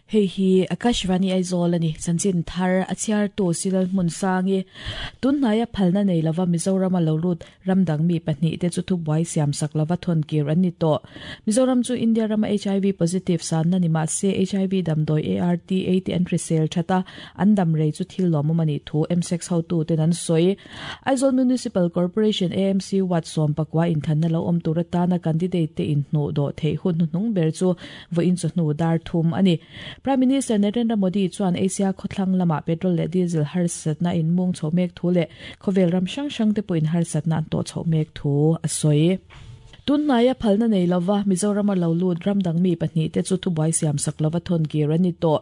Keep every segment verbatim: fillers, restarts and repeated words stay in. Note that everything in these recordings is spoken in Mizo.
Hei hi Akashvani Aizawl ani chanchin thar a chhiar tu silal hmun sangi tunhnai a phalna nei lova Mizoram a lo lut ramdang mi pahnih te chu thubuai siam sak lova thon kir an ni tawh. Mizoram chu India rama H I V positive san na ni ma se H I V damdawi A R T A te an hrisel thata an dam rei chu thil lawmawm ani thu M six hotu ten an sawi. Aizawl Municipal Corporation A M C Wat sawm pakwa inthanna lo awm tur atana candidate te in hnu dawh theih hun hnuhnung ber chu vawiin chu hnu dar thum ani. Prime Minister Narendra Modi chuan Asia khawthlang lama petrol leh diesel harsatna in mung chho mek thu leh khawvel ram hrang hrang te pawhin harsatna an tawh chho mek thu a sawi. Tunhnai a phalna nei lova Mizoram a lo lut ramdang mi pahnih te chu thubuai siam sak lova thon kir an ni tawh.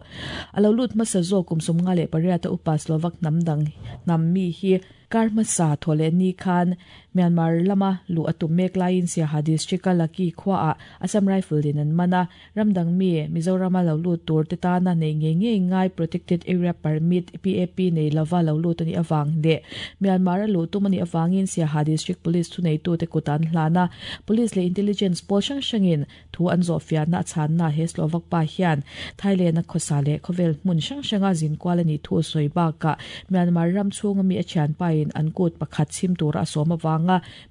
A lo lut hmasa zawk kum sum nga leh pariat a upa Slovak hnam dang hnam mi hi kar hmasa thawleh ni khan Myanmar lama lu atum mek laiin Siaha district a Laki khua ah Assam Rifle din an mana ramdang mi Mizoram a lo lut tur te tana nei nge nge ngai Protected Area Permit P A P nei lova lo lut ani awang le Myanmar a lu tum ani awangin Siaha District Police thu nei tu te kutan hlana Police le Intelligence pawl hrang hrangin thu an zawh fiahna a chhanna he Slovak pa hian Thailand a khawsa leh khawvel hmun hrang hranga zin kual ani thu sawi bakah Myanmar ram chhunga mi a thian pain an kut pakhat chim tur a sawm awanga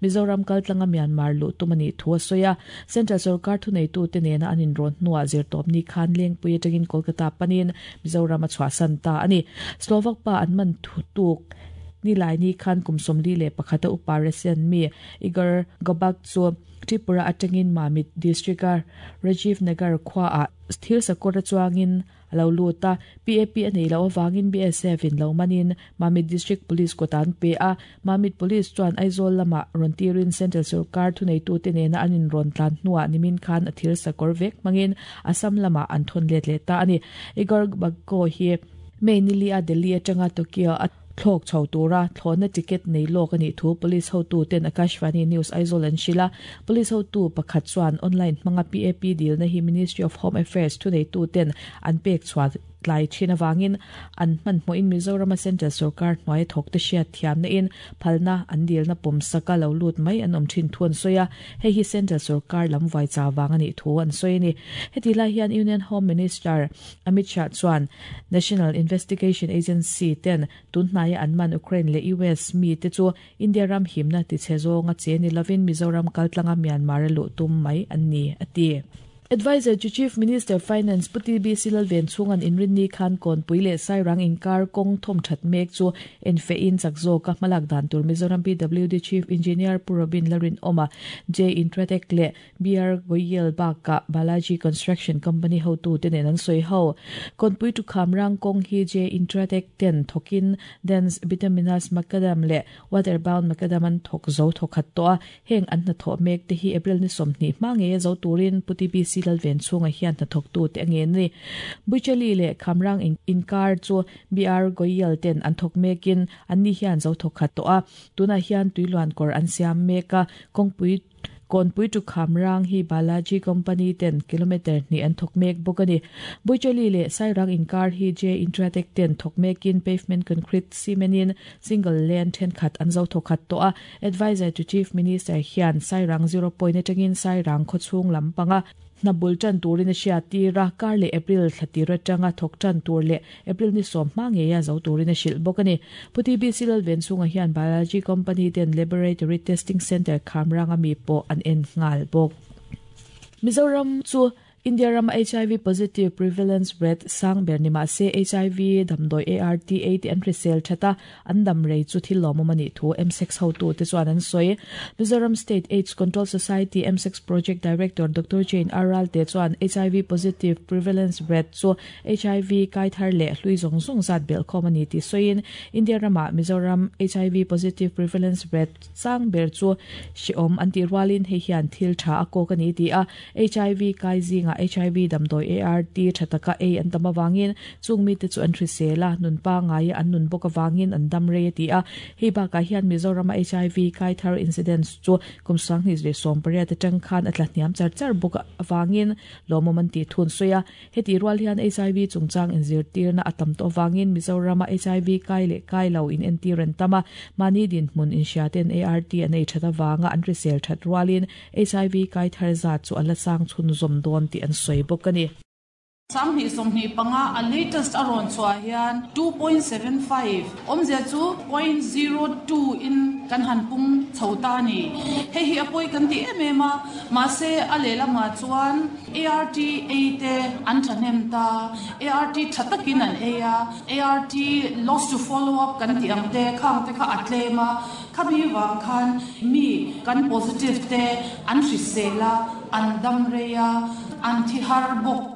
Mizoram kaltlanga Myanmar lu tum ani thu a sawi a. Central Sarkar thu nei tu te nena an inrawn hnuah zirtawp ni khan lengpui atangin Kolkata panin Mizoram a chhuahsan ta ani. Slovak pa an man thu tuk ni lai ni khan kum sawmli leh pakhat a upa Russian mi Igor Gobak chu Tripura atangin Mamit district a Rajiv Nagar khua ah thil sakawr chuangin lo luta P A P anei lo awangin B S F in lo manin Mamit District Police kotan pe a. Mamit Police chuan Aizawl lama rawn tirin Central Sarkar thu nei tu te nena an in rawn tlan hnuah nimin khan a thil sakawr vek hmangin Assam lama an thawn let leh ta ani. Igor Bagko hi May nili a Delhi atanga Tokyo a thlawk chho tura thlawhna ticket nei lawk ani thu police hotu ten Akashvani News Aizawl an hrilh a. Police hotu pakhat chuan online hmanga P A P dil na hi Ministry of Home Affairs thu nei tu ten an pek chhuah tlai thin awangin an hman hmuhin Mizoram a Central Sarkar hnuai thawk te hriat thiamna in phalna an dilna pawm saka lo lut mai an awm thin thu an sawi a. Hei hi Central Sarkar lam vai cha wang ani thu an sawi ani. Heti lai hian Union Home Minister Amit Shah chuan National Investigation Agency ten tunhnai an man Ukraine le U S mi te chu India ram himna ti che zawnga che ni lovin Mizoram kaltlanga Myanmar lu tum mai an ni ati. Advisor to Chief Minister Finance Puti B. Silalven chungan inrin ni khan kon puile sairang inkar kong thom that mek chu enfe in chakzo ka malak dan tur Mizoram P W D Chief Engineer Purobin Larin Oma J Intratek le B R Goyal Baka Balaji Construction Company ho tu te nen an soi ho kon pui tu khamrang kong hi J Intratek ten thokin dens vitaminas macadam le waterbound macadam an thok zo thokhat to heng an na tho mek te hi April ni somni ma nge zo turin Puti B. Silalven chunga hian hna thawk tu te ange ni. Buichali le khamrang inkar chu B R Goyal ten an thawk mekin an ni hian zo thawk khat to a. Tuna hian tuiluan kawr an siam meka kawngpui konpui tu khamrang hi Balaji Company ten kilometer ni an thawk mek bawk ani. Buichali le sairang inkar hi J Intratek ten thawk mekin pavement concrete cement single lane then khat an zo thawk khat to a. Advisor to Chief Minister hian sairang zero point atangin sairang khawchhung lampanga na bul tan turin a hria tira kar le April thlatira tanga thawk tan tur le April ni sawm hma nge ya zo turin a hrilh bawk ani. Puti B. Silalven chunga hian Balaji Company ten Laboratory Testing Center khamrang ami pawh an en nghal bawk. Mizoram chu India ram H I V positive prevalence rate sang ber ni ma se H I V damdawi A R T A te an hrisel thata an dam rei chu thil lawmawm ani thu M six hotu te chuan an sawi. Mizoram State AIDS Control Society M six Project Director Doctor Jane Aral te chuan H I V positive prevalence rate chu H I V kai thar leh hlui zawng zawng zat bel khawm ani ti sawiin India rama Mizoram H I V positive prevalence rate sang ber chu hriawm an ti rualin hei hian thil tha a kawk ani ti a. H I V kai zinga H I V damdawi A R T thataka A an tam awangin chung mi te chu an hrisela nun pa ngai an nun bawk awangin an dam rei ti a. Hei bakah hian Mizoram H I V kai thar incidents chu kum sanghnih leh sawm pariat atang khan a tla hniam char char bawk awangin lawmawm an ti thun sawi a. Heti rual hian H I V chungchang inzirtirna a tam tawh awangin Mizoram H I V kai leh kai lo in entir an tam a. Mahni dinhmun inhria ten A R T an ei that awanga an hrisel that rualin H I V kai thar zat chu a la sang chhun zawm dawn tih an sawi bawk ani. Sangni somni panga a latest aron chua hian two point seven five omzia chu zero point zero two in kan han pung chhota ni he hi apoi kan ti em em a ma se a lela ma chuan A R T A te an thanem ta A R T thatakin an e a A R T loss to follow up kan ti ang te khang te kha atlema khabi wang khan mi kan positive te an hrisela an dam reya an thi har bok.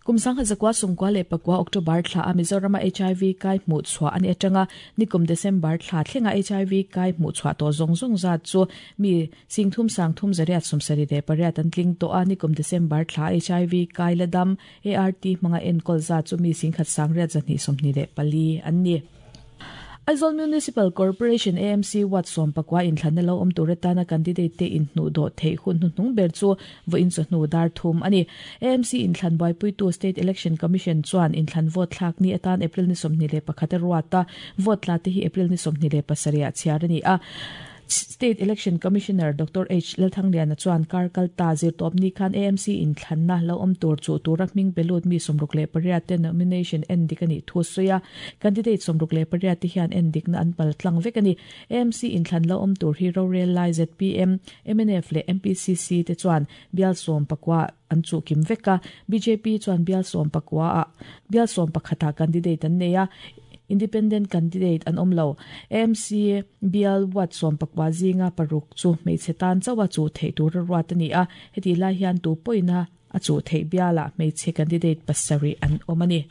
Kumsang hazakwa sungkwa le pakwa October thla a Mizoram H I V kai mu chwa ani atanga nikum December thla thlenga H I V kai mu chwa to zong zong za chu mi singthum sangthum zariat sumsari de pariat an tling to a nikum December thla H I V kai ladam A R T manga enkol za chu mi singkhat sangriat zani somni le pali anni. Aizawl Municipal Corporation A M C wat som pakwa in thlan lo om turetana candidate te in hnu do thei hun hnung ber chu vo in chu hnu dar thum ani. A M C in thlan bai pui tu State Election Commission chuan in thlan vote thlak ni atan April ni somni le pakhat ruata vote la te hi April ni somni le pasaria chiar ani a. State Election Commissioner Doctor H. Lalthangliana chuan kar kalta zir top ni khan A M C in thlanna lo om tur chu turak ming belut mi somruk le pariat te nomination en dikani thu soya candidate somruk le pariat te hian en dikna an pal tlang vek ani. A M C in thlan lo om tur hi rorel lai Z P M M N F le M P C C te chuan bial som pakwa an chu kim veka B J P chuan bial som pakwa a bial som pakhata candidate an neya independent candidate an omlo. A M C bial wat som pakwa zinga paruk chu meichetan chawa chu thei tur ruat ani a heti lai hian tu poina a chu thei biala meiche candidate pasari an omani.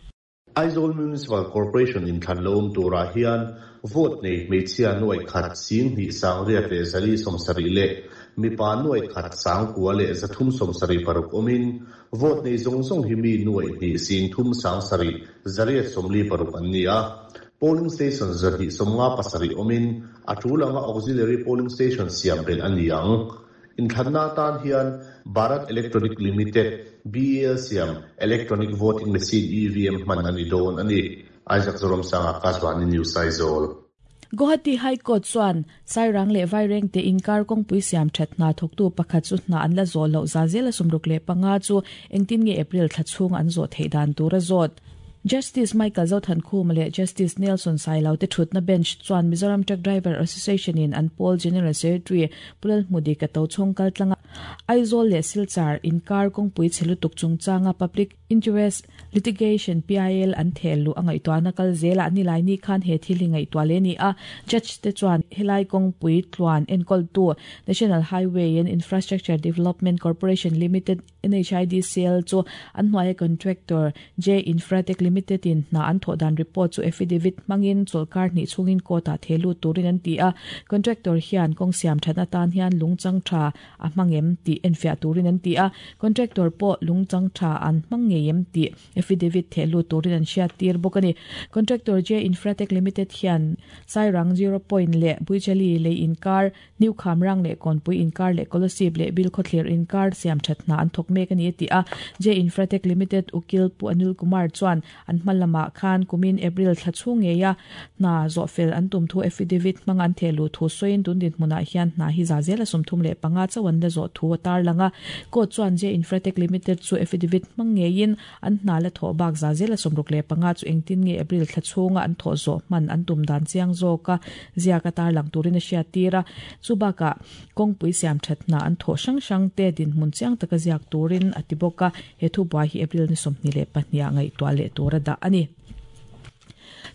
Aizawl Municipal Corporation in Thanlom tura hian vote nei meichia noi khat sing ni sang riat le zali somsari le mipa noi khat sang kwa le zathum somsari paruk omin vote nei zong zong hi mi noi ni sing thum sang sari zariat somli paruk an ni a. Polling station zari somnga pasari omin atulanga auxiliary polling station siam bel an niang in thanna tan hian Bharat Electronic Limited B A L siam electronic voting machine E V M man ani don ani. Isaac Zorom sanga Akashvani News Aizawl. Guwahati High Court chuan Sairang le Vaireng te inkar kongpui siam thatna thoktu pakhat chu hna an la zo lo zazela sumruk le panga chu engtin nge April thlachhung an zo theidan tura zot. Justice Michael Zothan Khum le Justice Nelson Sailau te thutna bench chuan Mizoram Truck Driver Association in an Paul General Secretary Pulal Mudi ka to chongkal tlanga Aizawl le Silchar inkar kongpui chelutuk chungchanga Public Interest Litigation P I L an thelu angai to anakal zela ani lai ni khan he thili ngai to le ni a judge te chuan helai kongpui tluan enkol tu National Highway and Infrastructure Development Corporation Limited N H I D C L chu an hnuai contractor J Infratech Limited in na an thodan report chu affidavit mangin cholkar ni chungin kota thelu turin an ti a contractor hian kong siam thana tan hian lungchang tha a mangem ti enfia turin an ti a contractor po lungchang tha an mangem ti affidavit thelu turin an sia tir bokani contractor J Infratech Limited hian Sairang zero point le Buichali le inkar New Khamrang le Konpui inkar le Kolosib le Bilkhotlir inkar siam thatna an thok mek ani ti a J Infratech Limited ukil pu Anil Kumar chuan an hmalama khan kumin April thlachung nge ya na zofel an tum thu affidavit mang an thelu thu soin tun din hmuna hian na hi za zela sumthum le panga chawan la zo thu tar langa ko chuan J Infratech Limited chu affidavit mang nge in an hna la tho bak za zela sumruk le panga chu engtin nge April thlachunga an tho zo man an tum dan chiang zo ka zia ka tar lang turin a sia tira chubaka kongpui siam thatna an tho sang sang te din hmun chiang taka ziak turin atiboka he thu bua hi April ni somni le pahnia ngai to le tora da ani.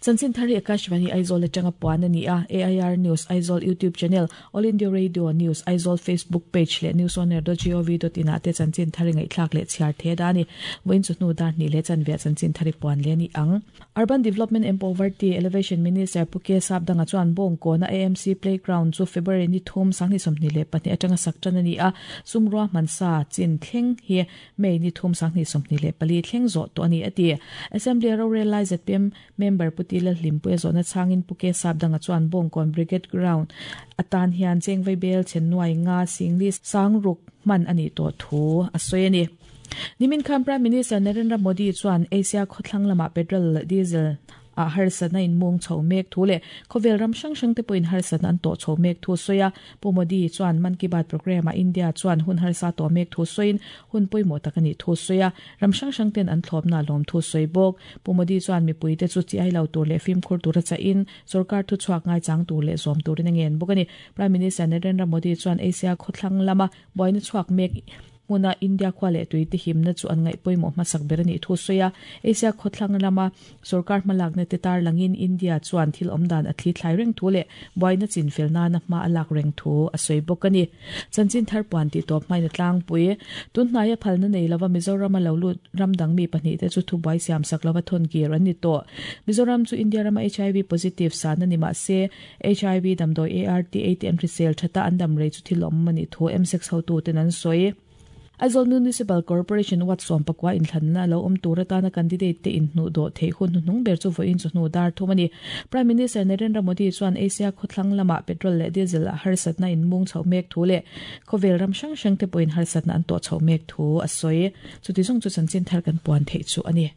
Chanchin Thari Akashvani Aizawl atanga puan ani a A I R News Aizawl YouTube channel All India Radio News Aizawl Facebook page le news on air dot gov dot in ate Chanchin Thari ngai thlak le chhiar the da ni voin chu hnu dar ni le chan ve Chanchin Thari puan le ni ang. Urban Development and Poverty Elevation Minister Puke Sapdanga chuan bong ko na A M C playground chu February ni thum sangni somni le pahnih atanga saktan ani a sumrua mansa chin thleng hi May ni thum sangni somni le pali thleng zo to ani ati Assembly ro realize Z P M member Putila Limpu zona changin Puke Sapdanga chuan bongkon brigade ground atan hian chengvei bel chennuai nga singli sangruk man ani to thu asoyani. Nimin khan Prime Minister Narendra Modi chuan Asia khawthlang lama petrol diesel a harsatna in mung chho mek thu leh khawvel ram hrang hrang te pawhin harsatna an tawh chho mek thu sawi a. Pu Modi chuan Mann Ki Baat program a India chuan hun harsa tawh mek thu sawiin hun pawimawh tak a nih thu sawi a, ram hrang hrang ten an thlawpna lawm thu sawi bawk. Pu Modi chuan mipui te chu chi ai lo tur leh fimkhur tur a chahin sorkar thu chhuak ngai chang tur leh zawm turin a ngen bawk a ni. Prime Minister Narendra Modi chuan Asia khawthlang lama buaina chhuak mek hmuna India khua leh tui te himna chu an ngaih pawimawh hmasak ber a nih thu sawi a. Asia khawthlang lama sorkar hmalakna te tar langin India chuan thil awm dan a thli thlai reng thu leh buaina chin fel nana hma a lak reng thu a sawi bawk a ni. Chanchin thar puan tih tawp hmain a tlangpui. Tun hnaia phalna nei lova Mizoram a lo lut ram dang mi pahnih te chu thubuai siam sak lova thawn kir an ni tawh. Mizoram chu India rama H I V positive san a ni mah se H I V damdawi A R T A T M hrisel thata an dam rei chu thil awm a nih thu M six hotu ten an sawi. Aizawl Municipal Corporation wat sawm pakua inthlanna lo awm tur atana candidate te inhnu dawh theih hun hnuhnung ber chu vawiin chu hnu dar thum a ni. Prime Minister Narendra Modi chuan Asia khawthlang lama petrol leh diesel a harsatna in mung chho mek thu leh khawvel ram hrang hrang te pawhin harsatna an tawh chho mek thu a sawi. Chuti zawng chu chanchin thar kan puan theih chu a ni.